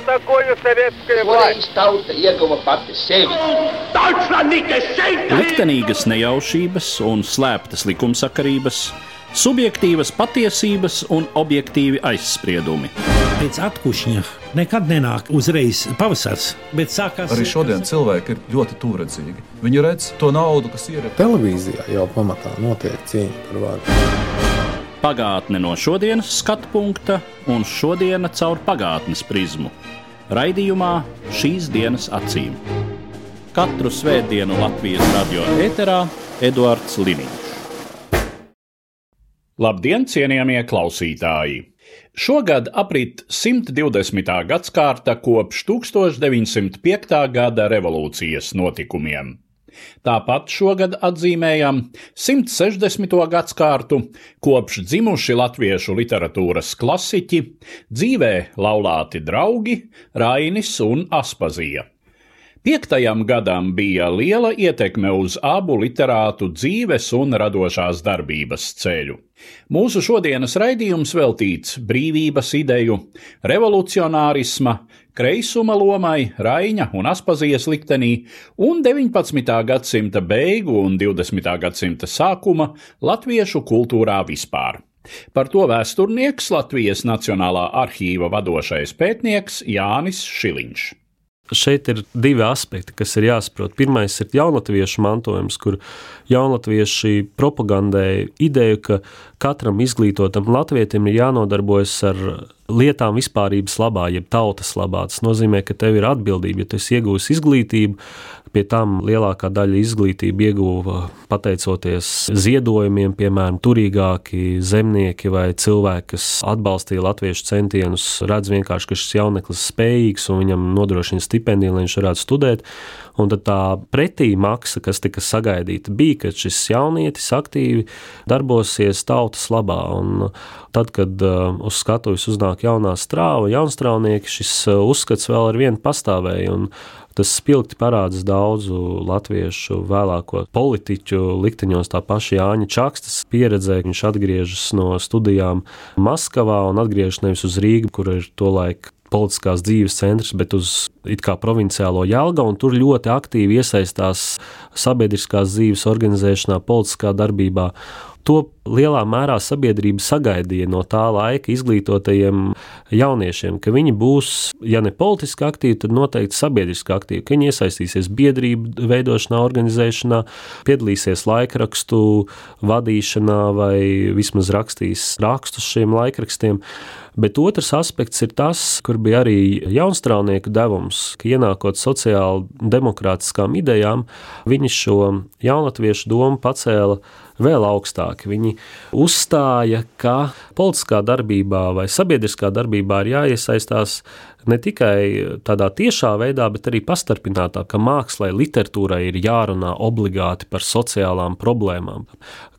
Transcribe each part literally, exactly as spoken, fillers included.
такое советская власть? Tauta ieguva pati sevi. Liktenīgas nejaušības un slēptas likumsakarības, subjektīvas patiesības un objektīvi aizspriedumi. Pēc atkušņa nekad nenāk uzreiz pavasars, bet sākās... Arī šodien cilvēki ir ļoti tūredzīgi. Viņi redz to naudu, kas ir. Televīzijā jau pamatā notiek cīņa par vārdu. Pagātne no šodienas skatu punkta un šodiena caur pagātnes prizmu. Raidījumā Šīs dienas acīm. Katru svētdienu Latvijas radio ēterā Eduards Liniņš. Labdien, cienījamie klausītāji! Šogad aprit simt divdesmitā gadskārta kopš tūkstoš deviņsimt piektā gada revolūcijas notikumiem. Tāpat šogad atzīmējam simt sešdesmito gadskārtu kopš dzimuši latviešu literatūras klasiķi, dzīvē laulāti draugi Rainis un Aspazija. Piektajam gadam bija liela ietekme uz abu literātu dzīves un radošās darbības ceļu. Mūsu šodienas raidījums veltīts brīvības ideju, revolucionārisma, kreisuma lomai Raiņa un Aspazijas liktenī un deviņpadsmitā gadsimta beigu un divdesmitā gadsimta sākuma latviešu kultūrā vispār. Par to vēsturnieks Latvijas Nacionālā arhīva vadošais pētnieks Jānis Šiliņš. Šeit ir divi aspekti, kas ir jāsaprot. Pirmais ir jaunatviešu mantojums, kur jaunatvieši propagandēja ideju, ka katram izglītotam latvietim ir jānodarbojas ar lietām vispārības labā, jeb tautas labā. Tas nozīmē, ka tev ir atbildība, ja tu esi iegūsi izglītību, pie tam lielākā daļa izglītība ieguva pateicoties ziedojumiem, piemēram, turīgāki zemnieki vai cilvēki, kas atbalstīja latviešu centienus, redz vienkārši, ka šis jauneklis spējīgs un viņam nodrošina stipendiju, lai viņš varētu studēt. Un tad tā pretī maksa, kas tika sagaidīta, bija, ka šis jaunietis aktīvi darbosies tautas labā. Un tad, kad uh, uz skatuves uznāk jaunā strāva, jaunstrāvnieki, šis uh, uzskats vēl ar vienu pastāvēja. Un tas spilgti parādas daudzu latviešu vēlāko politiķu likteņos, tā paša Jāņa Čakstas pieredzē. Viņš atgriežas no studijām Maskavā un atgriežas nevis uz Rīgu, kur ir tolaik politiskās dzīves centrs, bet uz it kā provinciālo Jelgavu, un tur ļoti aktīvi iesaistās sabiedriskās dzīves organizēšanā, politiskā darbībā. To lielā mērā sabiedrība sagaidīja no tā laika izglītotajiem jauniešiem, ka viņi būs, ja ne politiski aktīvi, tad noteikti sabiedriski aktīvi, ka viņi iesaistīsies biedrību veidošanā, organizēšanā, piedalīsies laikrakstu vadīšanā vai vismaz rakstīs rakstus šiem laikrakstiem. Bet otrs aspekts ir tas, kur bija arī jaunstrāvnieku devums, ka ienākot sociāli demokrātiskām idejām, viņi šo jaunatviešu domu pacēla vēl augstāk. Viņi uzstāja, ka politiskā darbībā vai sabiedriskā darbībā ir jāiesaistās ne tikai tādā tiešā veidā, bet arī pastarpinātā, ka mākslai, literatūrai ir jārunā obligāti par sociālām problēmām,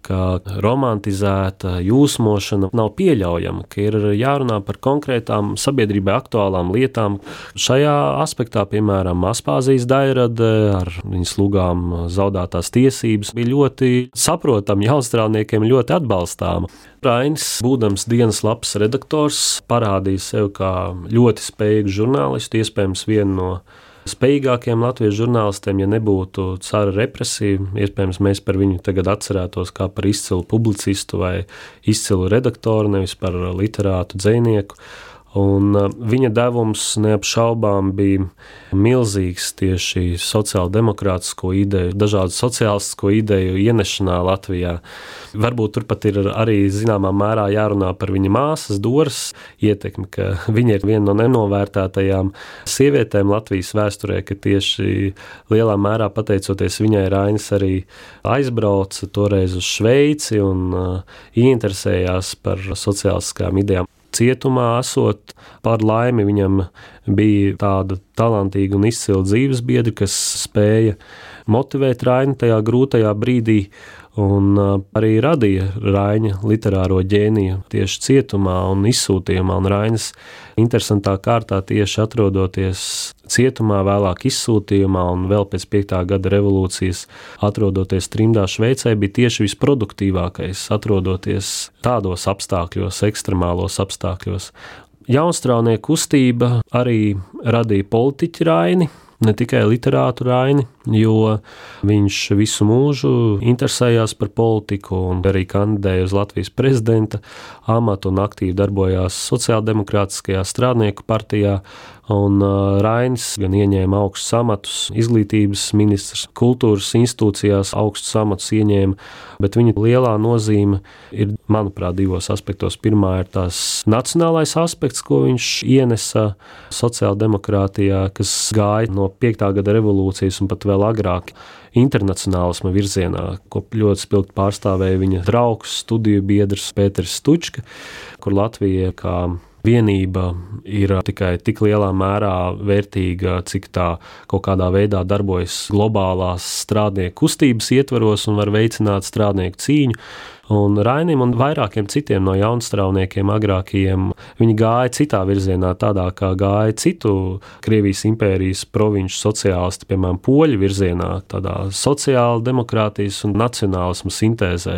ka romantizēta jūsmošana nav pieļaujama, ka ir jārunā par konkrētām sabiedrībai aktuālām lietām. Šajā aspektā, piemēram, Aspāzijas Dairade ar viņas lugām zaudētās tiesības bija ļoti saprotama, jaunstrāvniekiem ļoti atbalstāma. Rainis, būdams dienas lapas redaktors, parādīja sev kā ļoti spējīgu žurnālistu, iespējams vienu no spējīgākiem latviešu žurnālistiem, ja nebūtu cara represija. Iespējams, mēs par viņu tagad atcerētos kā par izcilu publicistu vai izcilu redaktoru, nevis par literātu dzejnieku. Un viņa devums neapšaubām bija milzīgs tieši sociāldemokrātisko ideju, dažādu sociālistisko ideju ienešanā Latvijā. Varbūt turpat ir arī zināmā mērā jārunā par viņa māsas Doras ietekmi, ka viņa ir viena no nenovērtētajām sievietēm Latvijas vēsturē, ka tieši lielā mērā pateicoties viņai Rainis arī aizbrauca toreiz uz Šveici un uh, ieinteresējās par sociālistiskām idejām. Cietumā esot, par laimi viņam bija tāda talantīga un izcila dzīves biedra, kas spēja motivēt Raini tajā grūtajā brīdī un arī radīja Raiņa literāro ģēniju tieši cietumā un izsūtījumā. Un Rainis interesantā kārtā tieši atrodoties cietumā, vēlāk izsūtījumā un vēl pēc piektā gada revolūcijas atrodoties trimdā Šveicē, bija tieši visproduktīvākais, atrodoties tādos apstākļos, ekstremālos apstākļos. Jaunstraunieku kustība arī radīja politiķu Raini, ne tikai literātu Raini, jo viņš visu mūžu interesējās par politiku un arī kandidēja uz Latvijas prezidenta amatu un aktīvi darbojās sociāldemokrātiskajā strādnieku partijā. Un uh, Rainis gan ieņēma augstus amatus, izglītības ministrs, kultūras institūcijās augstus amatus ieņēma, bet viņa lielā nozīme ir, manuprāt, divos aspektos. Pirmā ir tās nacionālais aspekts, ko viņš ienesa sociāldemokrātijā, kas gāja no piektā gada revolūcijas un pat vēl agrāk internacionālisma virzienā, ko ļoti spilgti pārstāvēja viņa draugs, studiju biedrs Pēters Stučka, kur Latvija kā vienība ir tikai tik lielā mērā vērtīga, cik tā kaut kādā veidā darbojas globālās strādnieku kustības ietvaros un var veicināt strādnieku cīņu. Un Rainim un vairākiem citiem no jaunstrauniekiem agrākajiem, viņi gāja citā virzienā, tādā kā gāja citu Krievijas impērijas provinču sociālisti, piemēram, poļu virzienā, tādā sociāla demokrātijas un nacionālisma sintēzē.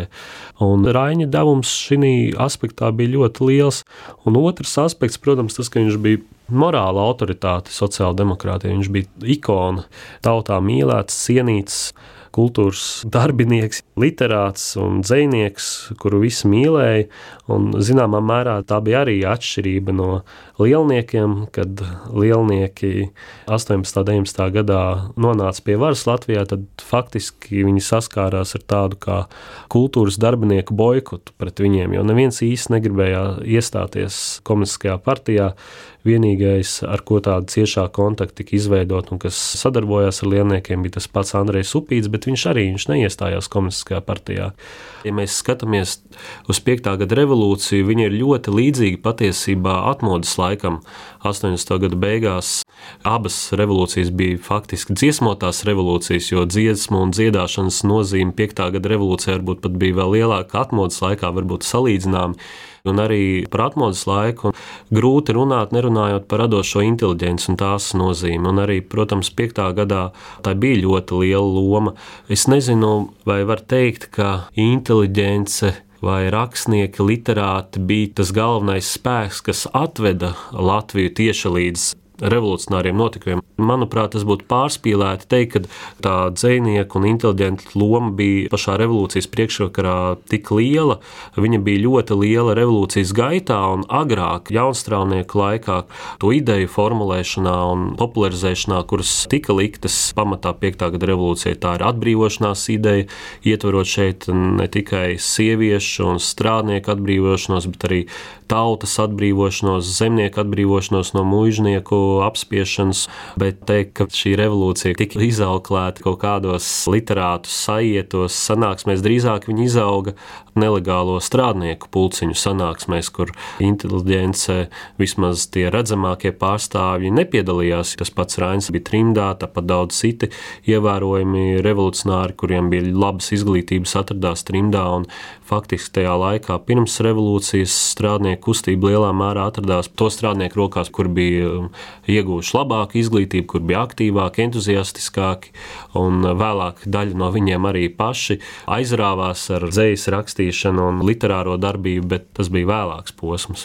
Un Raina devums šī aspektā bija ļoti liels. Un otrs aspekts, protams, tas, ka viņš bija morāla autoritāte sociāla demokrātija, viņš bija ikona, tautā mīlēts, cienīts, kultūras darbinieks, literāts un dzejnieks, kuru visi mīlēja, un zināmā mērā tā bija arī atšķirība no lielniekiem, kad lielnieki astoņpadsmitā un deviņpadsmitā gadā nonāca pie varas Latvijā, tad faktiski viņi saskārās ar tādu kā kultūras darbinieku boikotu pret viņiem, jo neviens īsti negribēja iestāties komunistiskajā partijā. Vienīgais, ar ko tāda ciešā kontakta tika izveidot un kas sadarbojās ar lielniekiem, bija tas pats Andrejs Upīts, bet viņš arī viņš neiestājās komunistiskajā partijā. Ja mēs skatāmies uz piektā gada revolūciju, viņa ir ļoti līdzīga patiesībā atmodas laikam. astoņdesmito gadu beigās abas revolūcijas bija faktiski dziesmotās revolūcijas, jo dziesmu un dziedāšanas nozīme piektā gada revolūcijā varbūt pat bija vēl lielāka atmodas laikā, varbūt salīdzināmi. Un arī par atmodas laiku grūti runāt, nerunājot par radošo inteliģenci un tās nozīmi. Un arī, protams, piektā gadā tā bija ļoti liela loma. Es nezinu, vai var teikt, ka inteliģence vai rakstnieki, literāti bija tas galvenais spēks, kas atveda Latviju tieši līdz revolucionāriem notikumiem. Manuprāt, tas būtu pārspīlēti teikt, ka tā dzejnieku un inteliģenta loma bija pašā revolūcijas priekšvakarā tik liela. Viņa bija ļoti liela revolūcijas gaitā un agrāk, jaunstraunieku laikā, to ideju formulēšanā un popularizēšanā, kuras tika liktas pamatā piektā gada revolūcijai. Tā ir atbrīvošanās ideja, ietverot šeit ne tikai sieviešu un strādnieku atbrīvošanos, bet arī tautas atbrīvošanos, zemnieku atbrīvošanos no muižnieku apspiešanas, bet teikt, ka šī revolūcija tika izauklēta kaut kādos literātu sajietos sanāksmēs, drīzāk viņa izauga nelegālo strādnieku pulciņu sanāksmēs, kur inteliģence, vismaz tie redzamākie pārstāvji nepiedalījās. Tas pats Rainis bija trimdā, tāpat daudz citi ievērojami revolucionāri, kuriem bija labas izglītības, atradās trimdā, un faktiski tajā laikā pirms revolūcijas strādnieku kustība lielā mērā atradās to strādnieku rokās, kur bija ieguvuši labāku izglītību, kur bija aktīvāki, entuziastiskāki, un vēlāk daļa no viņiem arī paši aizrāvās ar dzejas rakstīšanu un literāro darbību, bet tas bija vēlāks posms.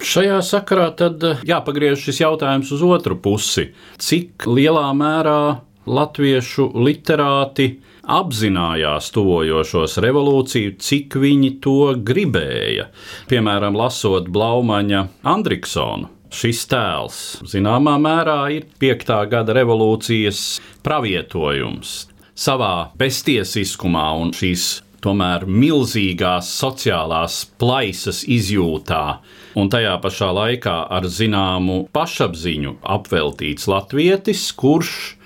Šajā sakarā tad jāpagriež šis jautājums uz otru pusi. Cik lielā mērā latviešu literāti apzinājās tuvojošos revolūciju, cik viņi to gribēja? Piemēram, lasot Blaumaņa Andriksonu. Šis tēls zināmā mērā ir piektā gada revolūcijas pravietojums. Savā beztiesiskumā un šīs tomēr milzīgās sociālās plaisas izjūtā un tajā pašā laikā ar zināmu pašapziņu apveltīts latvietis, kurš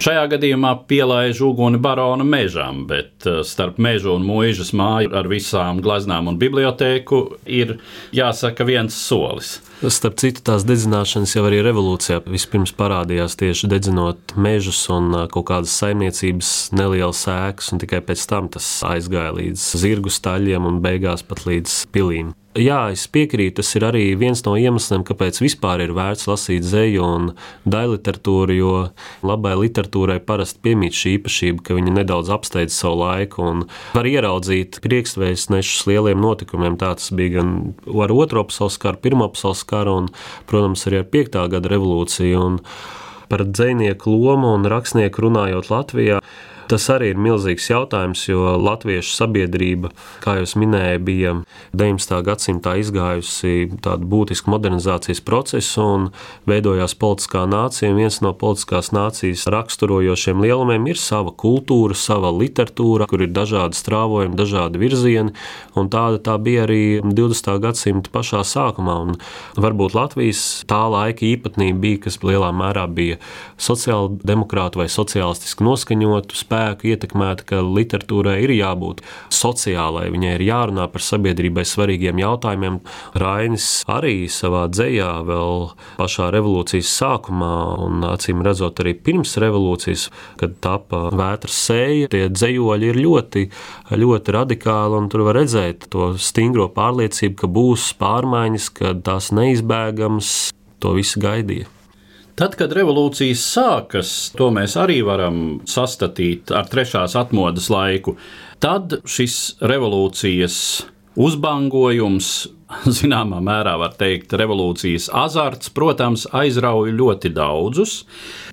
šajā gadījumā pielaiž uguni barona mežam, bet starp mežu un muižas māju ar visām gleznām un bibliotēku ir, jāsaka, viens solis. Starp citu, tās dedzināšanas jau arī revolūcijā vispirms parādījās tieši dedzinot mežus un kaut kādas saimniecības nelielas ēkas, un tikai pēc tam tas aizgāja līdz zirgu staļiem un beigās pat līdz pilīm. Jā, es piekrītu, tas ir arī viens no iemesliem, kāpēc vispār ir vērts lasīt dzeju un daļliteratūru, jo labai literatūrai parasti piemīt šī īpašība, ka viņa nedaudz apsteidz savu laiku un var ieraudzīt priekšvēstnešus lieliem notikumiem. Tā tas bija gan ar Otro pasaules karu, Pirmo pasaules karu un, protams, arī ar piektā gada revolūciju. Un par dzejnieku lomu un rakstnieku runājot Latvijā, tas arī ir milzīgs jautājums, jo latviešu sabiedrība, kā jūs minēja, bija deviņdesmitā gadsimtā izgājusi tādu būtisku modernizācijas procesu un veidojās politiskā nācija. Viens no politiskās nācijas raksturojošiem lielumiem ir sava kultūra, sava literatūra, kur ir dažādi strāvojumi, dažādi virzieni, un tāda tā bija arī divdesmitā gadsimta pašā sākumā. Un varbūt Latvijas tā laika īpatnība bija, kas lielā mērā bija sociāldemokrātu vai sociālistiski noskaņotu spēku ietekmēta, ka literatūrai ir jābūt sociālai, viņai ir jārunā par sabiedrībai svarīgiem jautājumiem. Rainis arī savā dzejā vēl pašā revolūcijas sākumā un acīm redzot arī pirms revolūcijas, kad tapa Vētras sēja, tie dzejoļi ir ļoti, ļoti radikāli un tur var redzēt to stingro pārliecību, ka būs pārmaiņas, ka tās neizbēgams, to visu gaidīja. Tad, kad revolūcijas sākas, to mēs arī varam sastatīt ar trešās atmodas laiku, tad šis revolūcijas uzbangojums, zināmā mērā var teikt, revolūcijas azarts, protams, aizrauja ļoti daudzus,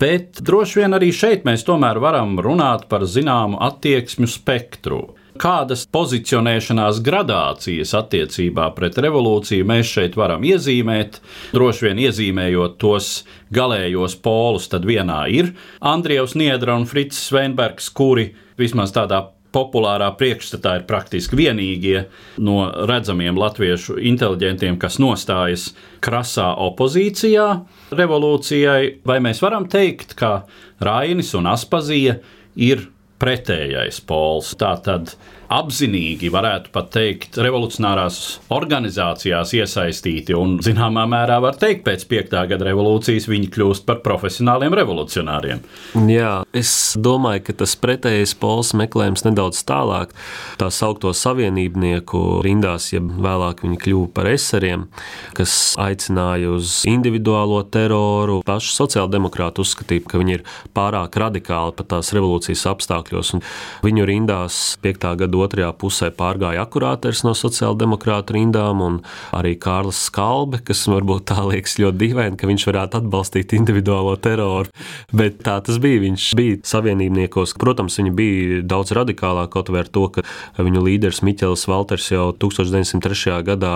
bet droši vien arī šeit mēs tomēr varam runāt par zināmu attieksmju spektru. Kādas pozicionēšanās gradācijas attiecībā pret revolūciju mēs šeit varam iezīmēt, droši vien iezīmējot tos galējos polus, tad vienā ir Andrievs Niedra un Frits Sveinbergs, kuri vismaz tādā populārā priekšstatā ir praktiski vienīgie no redzamiem latviešu inteliģentiem, kas nostājas krasā opozīcijā revolūcijai, vai mēs varam teikt, ka Rainis un Aspazija ir pretējais pols. Tātad apzinīgi varētu pat teikt revolucionārās organizācijās iesaistīti un zināmā mērā var teikt pēc piektā gada revolūcijas viņi kļūst par profesionāliem revolucionāriem. Jā, es domāju, ka tas pretējais pols meklējums nedaudz tālāk. Tā saukto savienībnieku rindās, ja vēlāk viņi kļuva par eseriem, kas aicināja uz individuālo teroru. Paši sociāldemokrāti uzskatīja, ka viņi ir pārāk radikāli pat tās revolūcijas apstākļos. Un viņu rindās piektā gada otrajā pusē pārgāja akurāters no sociāldemokrātu rindām un arī Kārlis Skalbe, kas varbūt tā liekas ļoti dīvaini, ka viņš varētu atbalstīt individuālo teroru, bet tā tas bija. Viņš bija savienībniekos. Protams, viņi bija daudz radikālāk, kaut vai ar to, ka viņu līderis Miķelis Valters jau tūkstoš deviņsimt trešajā gadā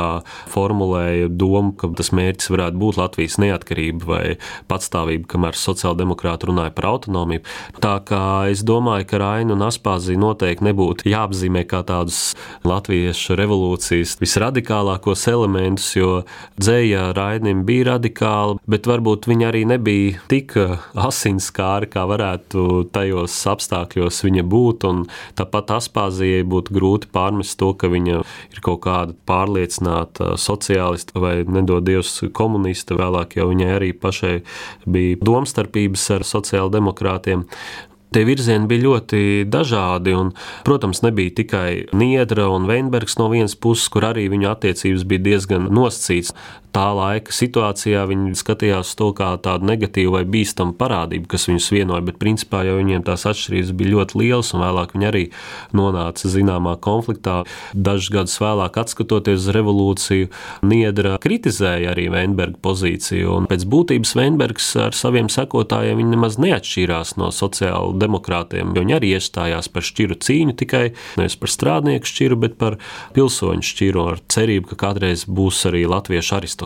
formulēja domu, ka tas mērķis varētu būt Latvijas neatkarība vai patstāvība, kamēr sociāldemokrāti runāja par autonomiju. Tā kā es domāju, ka Raini un Aspazija noteikti nebūtu jāapzīmē kā tādus latviešu revolūcijas visradikālākos elementus, jo dzeja Rainim bija radikāli, bet varbūt viņa arī nebija tik asinskāra, kā varētu tajos apstākļos viņa būt, un tāpat Aspazijai būtu grūti pārmest to, ka viņa ir kaut kāda pārliecināta sociālista vai nedod Dievs komunista, vēlāk jau viņai arī pašai bija domstarpības ar sociāldemokrātiem. Tie virzieni bija ļoti dažādi, un, protams, nebija tikai Niedra un Veinbergs no vienas puses, kur arī viņu attiecības bija diezgan nosacīts. Tā laika situācijā viņi skatījās to kā tādu negatīvu vai bīstamu parādību, kas viņus vienoja, bet principā jau viņiem tās atšķirības bija ļoti lielas, un vēlāk viņi arī nonāca zināmā konfliktā. Dažus gadus vēlāk, atskatoties uz revolūciju, Niedra kritizēja arī Veinberga pozīciju, un pēc būtības Veinbergs ar saviem sekotājiem viņi nemaz neatšķīrās no sociāla demokrātiem, jo viņi arī iestājās par šķiru cīņu, tikai nevis par strādnieku šķiru, bet par pilsoņu šķiru, ar cerību, ka kādreiz būs arī latviešu aristokrātija.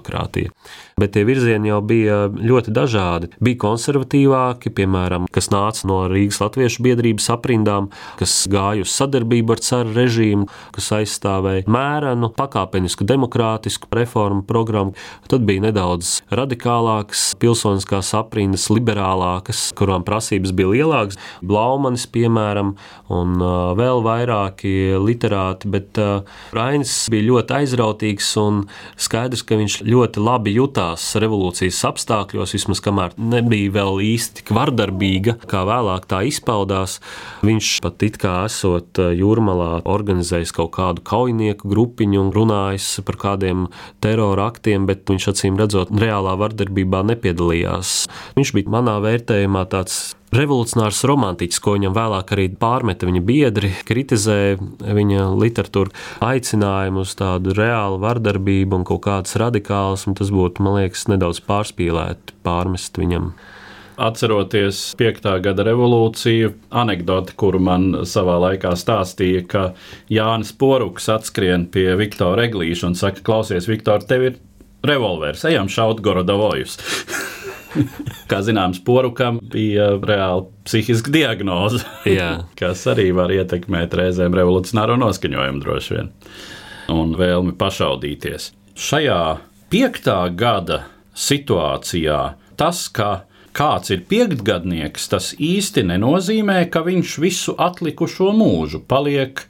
Bet tie virzieni jau bija ļoti dažādi. Bija konservatīvāki, piemēram, kas nāca no Rīgas latviešu biedrības aprindām, kas gāja uz sadarbību ar caru režīmu, kas aizstāvēja mērenu, pakāpenisku demokrātisku reformu programmu. Tad bija nedaudz radikālākas pilsoniskās aprindas, liberālākas, kurām prasības bija lielākas. Blaumanis, piemēram, un uh, vēl vairāki literāti, bet uh, Rainis bija ļoti aizrautīgs un skaidrs, ka viņš ļoti labi jutās grūtās revolūcijas apstākļos, vismaz kamēr nebija vēl īsti tik vardarbīga, kā vēlāk tā izpaudās. Viņš pat it kā esot Jūrmalā organizējis kaut kādu kaujinieku grupiņu un runājis par kādiem terora aktiem, bet viņš acīm redzot reālā vardarbībā nepiedalījās. Viņš bija manā vērtējumā tāds revolucionārs romantiķis, ko viņam vēlāk arī pārmeta viņa biedri, kritizēja viņa literatūru, aicinājumu uz tādu reālu vardarbību un kaut kādas radikālas, un tas būtu, man liekas, nedaudz pārspīlēti pārmest viņam. Atceroties piektā gada revolūciju, anekdoti, kuru man savā laikā stāstīja, ka Jānis Poruks atskrien pie Viktora Eglīša un saka, klausies, Viktor, tev ir revolvers, ejam šaut Gorodovojus. Kā zināms, Porukam bija reāli psihiska diagnoze, kas arī var ietekmēt reizēm revolucionāro noskaņojumu droši vien un vēlmi pašaudīties. Šajā piektā gada situācijā tas, ka kāds ir piektgadnieks, tas īsti nenozīmē, ka viņš visu atlikušo mūžu paliek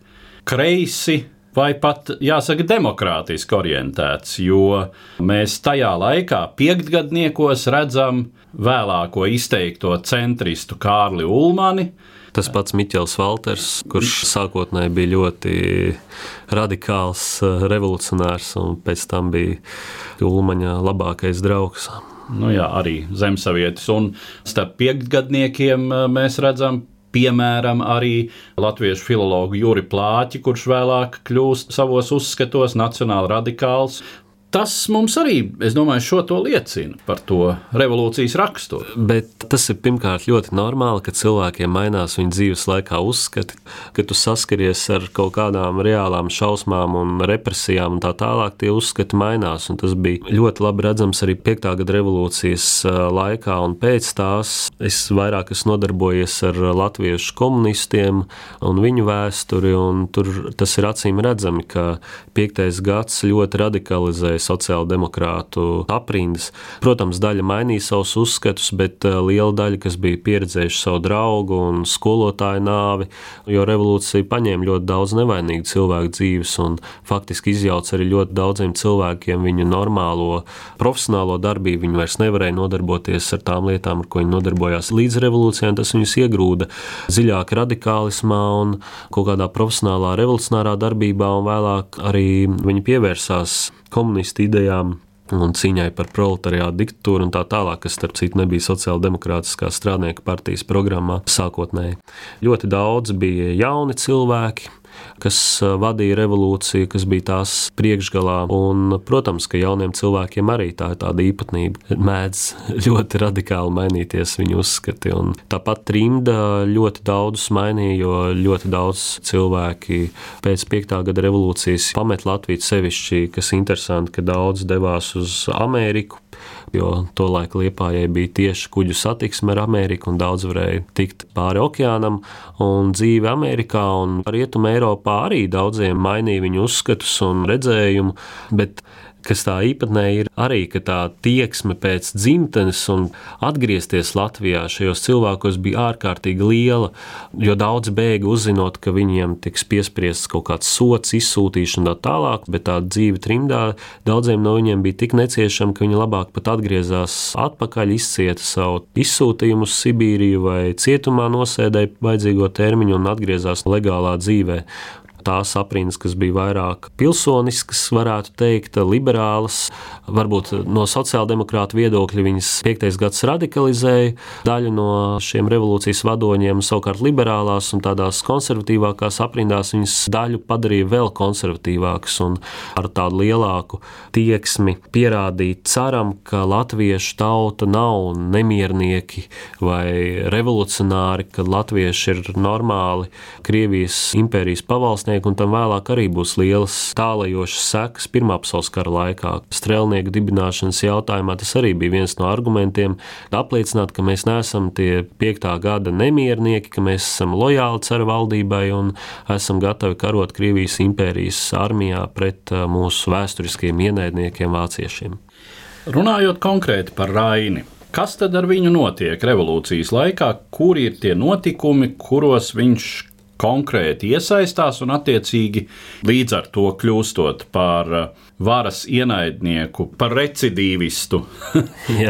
kreisi vai pat, jāsaka, demokrātiski orientēts, jo mēs tajā laikā piektgadniekos redzam vēlāko izteikto centristu Kārli Ulmani. Tas pats Miķels Valters, kurš sākotnēji bija ļoti radikāls revolucionārs un pēc tam bija Ulmaņa labākais draugs. Nu jā, arī zemsavietis, un starp piektgadniekiem mēs redzam piemēram arī latviešu filologu Juri Plāķi, kurš vēlāk kļūst savos uzskatos nacionāli radikāls. Tas mums arī, es domāju, šo to liecina par to revolūcijas raksturu. Bet tas ir pirmkārt ļoti normāli, ka cilvēkiem mainās viņu dzīves laikā uzskati, ka tu saskaries ar kaut kādām reālām šausmām un represijām un tā tālāk, tie uzskati mainās. Un tas bija ļoti labi redzams arī piektā gada revolūcijas laikā un pēc tās. Es vairāk esmu nodarbojies ar latviešu komunistiem un viņu vēsturi, un tur tas ir acīm redzami, ka piektais gads ļoti radikalizē sociāldemokrātu aprindas. Protams, daļa mainīja savus uzskatus, bet liela daļa, kas bija pieredzējuši savu draugu un skolotāju nāvi, jo revolūcija paņēma ļoti daudz nevainīgu cilvēku dzīves un faktiski izjauca arī ļoti daudziem cilvēkiem viņu normālo profesionālo darbību. Viņi vairs nevarēja nodarboties ar tām lietām, ar ko viņi nodarbojās līdz revolūcijai, un tas viņus iegrūda dziļāk radikālismā un kaut kādā profesionālā revolucionārā darbībā, un vēlāk arī viņi pievērsās komunistu idejām un cīņai par proletariātu diktatūru un tā tālāk, kas starp citu nebija sociāldemokrātiskā strādnieku partijas programmā sākotnēji. Ļoti daudz bija jauni cilvēki, kas vadīja revolūciju, kas bija tās priekšgalā, un, protams, ka jauniem cilvēkiem arī tā ir tāda īpatnība, mēdz ļoti radikāli mainīties viņu uzskati, un tāpat trimda ļoti daudz mainīja, jo ļoti daudz cilvēki pēc piektā gada revolūcijas pamet Latviju sevišķi, kas interesanti, ka daudz devās uz Ameriku, jo tolaik Liepājai bija tieši kuģu satiksme ar Ameriku un daudz varēja tikt pāri okeānam, un dzīve Amerikā un Rietuma Eiropā arī daudziem mainīja viņu uzskatus un redzējumu, bet kas tā īpatnēji ir arī, ka tā tieksme pēc dzimtenes un atgriezties Latvijā šajos cilvēkos bija ārkārtīgi liela, jo daudz bēga uzzinot, ka viņiem tiks piespriests kaut kāds sots, izsūtīšana tā tālāk, bet tā dzīve trimdā daudziem no viņiem bija tik neciešama, ka viņi labāk pat atgriezās atpakaļ, izcieta savu izsūtījumu uz Sibīriju vai cietumā nosēdēja vajadzīgo termiņu un atgriezās legālā dzīvē. Tās aprindas, kas bija vairāk pilsoniskas, varētu teikt, liberālas, varbūt no sociāldemokrāta viedokļa viņas piektais gads radikalizēja daļu no šiem revolūcijas vadoņiem, savukārt liberālās un tādās konservatīvākās aprindās viņas daļu padarīja vēl konservatīvākas un ar tādu lielāku tieksmi pierādīt ceram, ka latviešu tauta nav nemiernieki vai revolucionāri, ka latvieši ir normāli Krievijas impērijas pavalsnieki, un tam vēlāk arī būs lielas tālajošas sekas Pirmā pasaules kara laikā. Strēlnieku dibināšanas jautājumā tas arī bija viens no argumentiem, apliecināt, ka mēs neesam tie piektā gada nemiernieki, ka mēs esam lojāli cara valdībai un esam gatavi karot Krievijas impērijas armijā pret mūsu vēsturiskiem ienaidniekiem vāciešiem. Runājot konkrēti par Raini, kas tad ar viņu notiek revolūcijas laikā, kuri ir tie notikumi, kuros viņš konkrēti iesaistās un attiecīgi līdz ar to kļūstot par varas ienaidnieku, par recidīvistu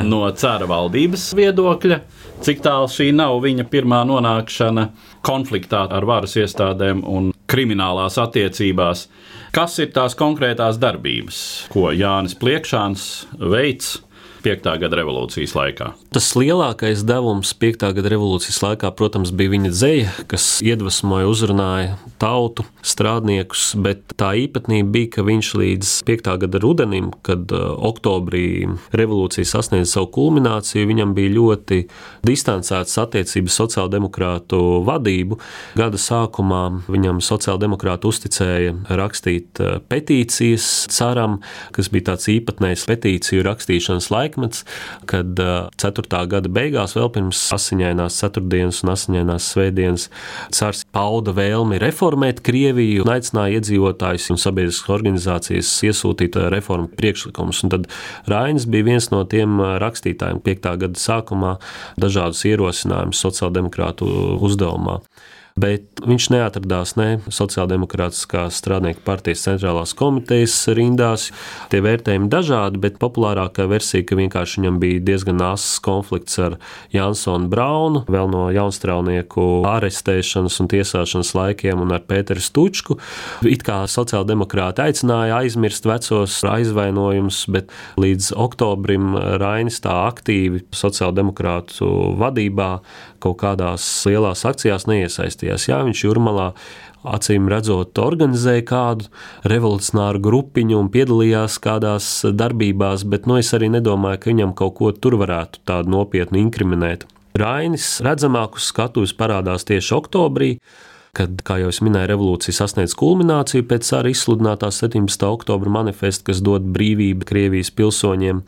no cara valdības viedokļa, cik tālu šī nav viņa pirmā nonākšana konfliktā ar varas iestādēm un kriminālās attiecībās. Kas ir tās konkrētās darbības, ko Jānis Pliekšāns veids piektā gada revolūcijas laikā? Tas lielākais devums piektā gada revolūcijas laikā, protams, bija viņa dzeja, kas iedvesmoja, uzrunāja tautu, strādniekus, bet tā īpatnība bija, ka viņš līdz piektā gada rudenim, kad oktobrī revolūcija sasniedza savu kulmināciju, viņam bija ļoti distancētas attiecības sociāldemokrātu vadību. Gada sākumā viņam sociāldemokrāti uzticēja rakstīt petīcijas caram, kas bija tāds īpatnējs petīciju rakstīšanas laikmets, kad ceturtā gada beigās, vēl pirms asiņainās ceturtdienas un asiņainās svētdienas, cars pauda vēlmi reformēt Krieviju un aicināja iedzīvotājus un sabiedriskas organizācijas iesūtīt reformu priekšlikumus. Un tad Rainis bija viens no tiem rakstītājiem piektā gada sākumā dažādus ierosinājumus sociāldemokrātu uzdevumā. Bet viņš neatradās ne Sociāldemokrātiskās strādnieku partijas centrālās komitejas rindās. Tie vērtējumi dažādi, bet populārākā versija, ka vienkārši viņam bija diezgan asas konflikts ar Jansonu Braunu, vēl no jaunstrāvnieku arestēšanas un tiesāšanas laikiem, un ar Pēteru Stučku. It kā sociāldemokrāti aicināja aizmirst vecos aizvainojumus, bet līdz oktobrim Rainis tā aktīvi sociāldemokrātu vadībā kaut kādās lielās akcijās neiesaistījās. Jā, viņš Jūrmalā acīm redzot organizēja kādu revolucionāru grupiņu un piedalījās kādās darbībās, bet nu, es arī nedomāju, ka viņam kaut ko tur varētu tādu nopietnu inkriminēt. Rainis redzamāk uz skatuves parādās tieši oktobrī, kad, kā jau es minēju, revolūcija sasniedz kulmināciju pēc cara izsludinātā septiņpadsmitā oktobra manifesta, kas dod brīvību Krievijas pilsoņiem.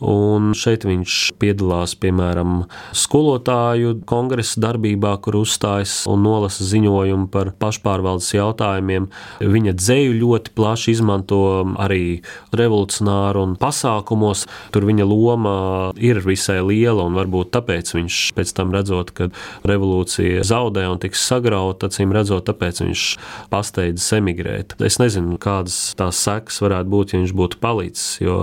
Un šeit viņš piedalās, piemēram, skolotāju kongresa darbībā, kur uzstājas un nolasa ziņojumu par pašpārvaldes jautājumiem. Viņa dzeju ļoti plaši izmanto arī revolucionāru un pasākumos. Tur viņa loma ir visai liela, un varbūt tāpēc viņš pēc tam redzot, kad revolūcija zaudē un tiks sagrauta, acīm redzot, tāpēc viņš pasteidzas emigrēt. Es nezinu, kādas tās sekas varētu būt, ja viņš būtu palicis, jo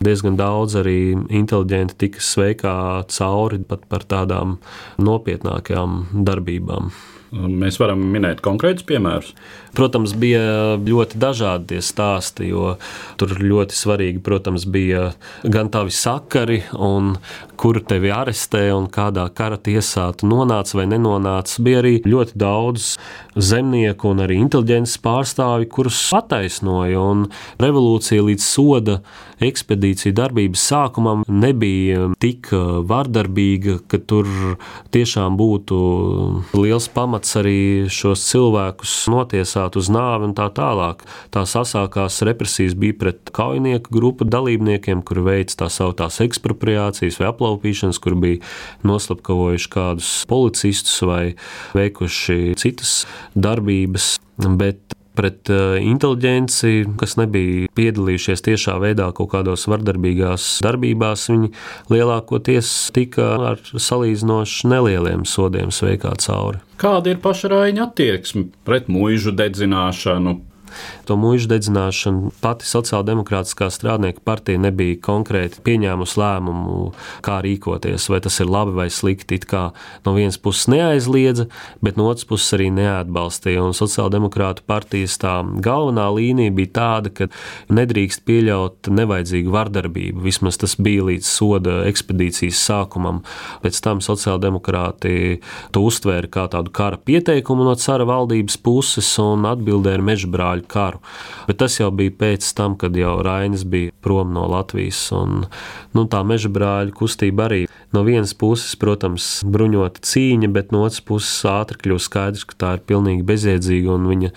diezgan daudz arī inteliģenti tika sveikā cauri pat par tādām nopietnākajām darbībām. Mēs varam minēt konkrētus piemērus. Protams, bija ļoti dažādi tie stāsti, jo tur ļoti svarīgi, protams, bija gan tavi sakari, un kuru tevi arestē, un kādā kara tiesā tu nonāc vai nenonāc. Bija arī ļoti daudz zemnieku un arī inteliģences pārstāvi, kurus attaisnoja, un revolūcija līdz soda ekspedīciju darbības sākumam nebija tik vardarbīga, ka tur tiešām būtu liels pamats arī šos cilvēkus notiesāt uz nāvi un tā tālāk. Tās asākās represijas bija pret kaujinieku grupu dalībniekiem, kuri veica tā sauktās ekspropriācijas vai aplaupīšanas, kur bija noslapkavojuši kādus policistus vai veikuši citas darbības, bet pret inteliģenci, kas nebija piedalījušies tiešā veidā kaut kādos vardarbīgās darbībās, viņi lielākoties tika ar salīdzinoši nelieliem sodiem sveikā cauri. Kāda ir paša Raina attieksme pret muižu dedzināšanu? To muižu dedzināšanu pati Sociāldemokrātiskā strādnieku partija nebija konkrēti pieņēmusi lēmumu, kā rīkoties, vai tas ir labi vai slikti. It kā no vienas puses neaizliedza, bet no otras puses arī neatbalstīja. Un Sociāldemokrātu partijas tā galvenā līnija bija tāda, ka nedrīkst pieļaut nevajadzīgu vardarbību. Vismaz tas bija līdz soda ekspedīcijas sākumam. Pēc tam sociāldemokrāti to uztvēra kā tādu kara pieteikumu no cara valdības puses un atbildēja ar mežbrāļu karu. Bet tas jau bija pēc tam, kad jau Rainis bija prom no Latvijas. Un, nu, tā mežbrāļu kustība arī no vienas puses, protams, bruņota cīņa, bet no otras puses ātri kļūst skaidrs, ka tā ir pilnīgi bezjēdzīga, un viņa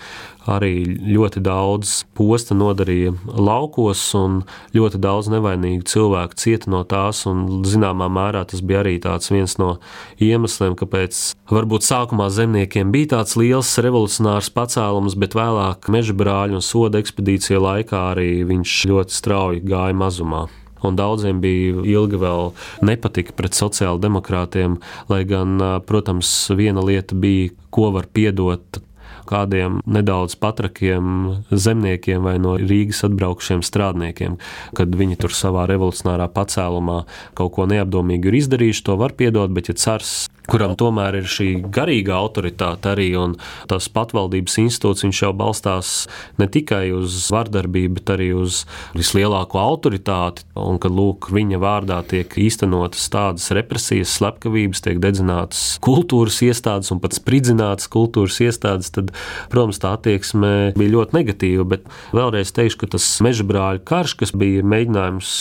arī ļoti daudz posta nodarīja laukos, un ļoti daudz nevainīgu cilvēku cieta no tās, un zināmā mērā tas bija arī tāds viens no iemesliem, kāpēc varbūt sākumā zemniekiem bija tāds liels revolucionārs pacēlums, bet vēlāk mežbrāļu un soda ekspedīcija laikā arī viņš ļoti strauji gāja mazumā. Un daudziem bija ilgi vēl nepatika pret sociāldemokrātiem, lai gan, protams, viena lieta bija, ko var piedot kādiem nedaudz patrakiem zemniekiem vai no Rīgas atbraukušiem strādniekiem, kad viņi tur savā revolucionārā pacēlumā kaut ko neapdomīgi ir izdarījuši, to var piedot, bet ja cars, kuram tomēr ir šī garīga autoritāte arī un tas patvaldības institūts, viņš jau balstās ne tikai uz vardarbību, bet arī uz vislielāko autoritāti, un kad, lūk, viņa vārdā tiek īstenotas tādas represijas, slepkavības, tiek dedzinātas kultūras iestādes un pat spridzinātas kultūras iestādes, tad, protams, tā attieksme bija ļoti negatīva, bet vēlreiz teikšu, ka tas Mežabrāļu karš, kas bija mēģinājums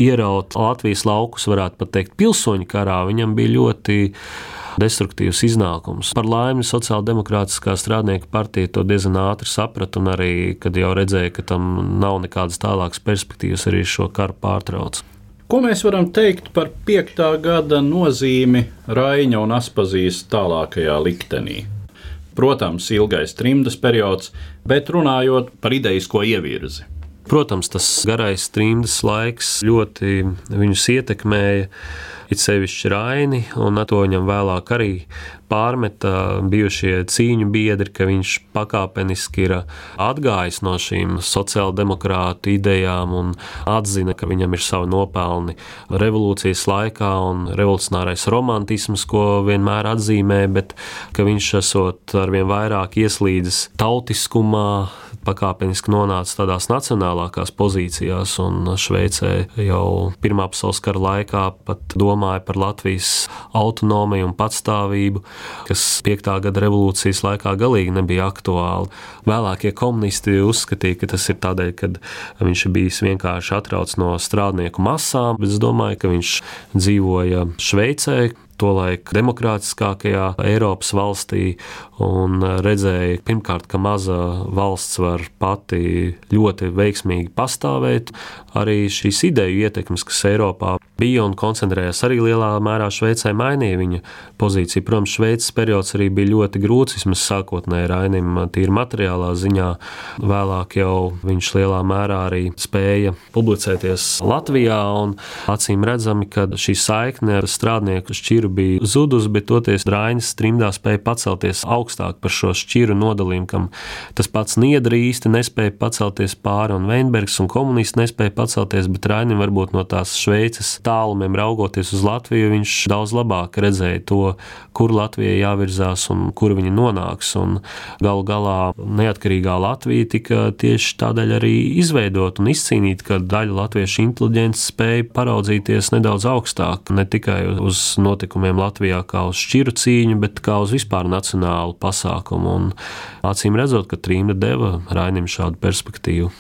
ieraut Latvijas laukus, varētu pat teikt, pilsoņu karā, viņam bija ļoti destruktīvs iznākums. Par laimi Sociāldemokrātiskā strādnieku partija to diezgan ātri saprata un arī, kad jau redzēja, ka tam nav nekādas tālākas perspektīvas, arī šo karu pārtrauc. Ko mēs varam teikt par piektā gada nozīmi Raiņa un Aspazijas tālākajā liktenī? Protams, ilgais trimdas periods, bet runājot par idejisko ievirzi. Protams, tas garais trimdas laiks ļoti viņus ietekmēja, it sevišķi Raini, un to viņam vēlāk arī pārmeta bijušie cīņu biedri, ka viņš pakāpeniski ir atgājis no šīm sociāldemokrātu idejām un atzina, ka viņam ir savi nopelni revolūcijas laikā un revolucionārais romantisms, ko vienmēr atzīmē, bet ka viņš esot arvien vairāk ieslīdis tautiskumā, pakāpeniski nonāca tādās nacionālākās pozīcijās, un Šveicē jau Pirmā pasaules kara laikā pat domāja par Latvijas autonomiju un patstāvību, kas piektā gada revolūcijas laikā galīgi nebija aktuāli. Vēlākie komunisti uzskatīja, ka tas ir tādēļ, kad viņš ir bijis vienkārši atrauts no strādnieku masām, bet es domāju, ka viņš dzīvoja Šveicē, tolaik demokrātiskākajā Eiropas valstī, un redzēja pirmkārt, ka maza valsts var pati ļoti veiksmīgi pastāvēt. Arī šīs ideju ietekmes, kas Eiropā bija un koncentrējās arī lielā mērā Šveicē, mainīja viņa pozīciju. Protams, Šveices periods arī bija ļoti grūts, vismaz sākotnēji Rainim tīri materiālā ziņā. Vēlāk jau viņš lielā mērā arī spēja publicēties Latvijā, un acīm redzami, ka šī saikne ar strādnieku šķiru bija zudus, bet toties Rainis trimdā spēja pacelties augstāk par šo šķiru nodalījumu, kam tas pats Niedra īsti nespēja pacelties pāri, un Veinbergs un komunisti nespēja pacelties, bet Rainim varbūt no tās Šveices tālumiem raugoties uz Latviju, viņš daudz labāk redzēja to, kur Latvijai jāvirzās un kur viņa nonāks, un galu galā neatkarīgā Latvija tika tieši tādēļ arī izveidot un izcīnīt, ka daļa latviešu inteliģents spēja paraudzīties nedaudz augstāk, ne tikai uz notikumiem Latvijā kā uz šķiru cīņu, bet kā uz vispār nacionālu pasākumu, un acīm redzot, ka trimda deva Rainim šādu perspektīvu.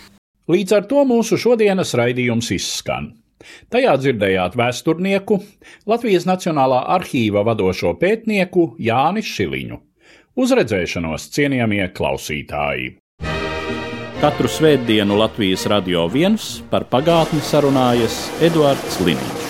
Līdz ar to mūsu šodienas raidījums izskan. Tajā dzirdējāt vēsturnieku, Latvijas Nacionālā arhīva vadošo pētnieku Jāni Šiliņu. Uz redzēšanos, cienījamie klausītāji! Katru svētdienu Latvijas Radio viens par pagātni sarunājas Eduards Liniņš.